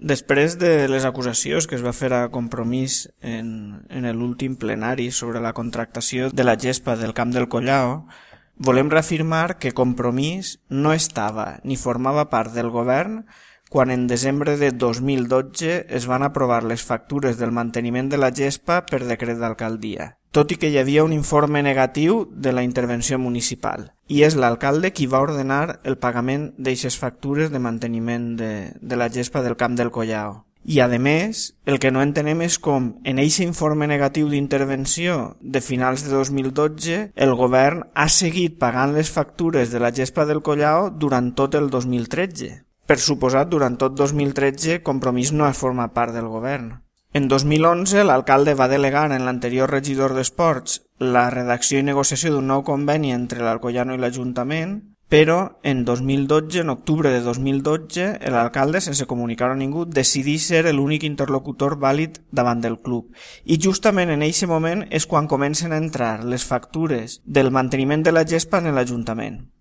Després de les acusacions que es va fer a Compromís en l'últim plenari sobre la contractació de la gespa del Camp del Collao, volem reafirmar que Compromís no estava ni formava part del govern quan en desembre de 2012 es van aprovar les factures del manteniment de la gespa per decret d'alcaldia, tot i que hi havia un informe negatiu de la intervenció municipal, i és l'alcalde qui va ordenar el pagament d'eixes factures de manteniment de la gespa del Camp del Collao. I, a més, el que no entenem és com, en eixe informe negatiu d'intervenció de finals de 2012, el govern ha seguit pagant les factures de la gespa del Collao durant tot el 2013. Per suposat, durant tot 2013, Compromís no ha format part del govern. En 2011, l'alcalde va delegar en l'anterior regidor d'Esports la redacció i negociació d'un nou conveni entre l'Alcoyano i l'Ajuntament, però en 2012, en octubre de 2012, l'alcalde, sense comunicar a ningú, decidí ser l'únic interlocutor vàlid davant del club. I justament en aquest moment és quan comencen a entrar les factures del manteniment de la gespa en l'Ajuntament.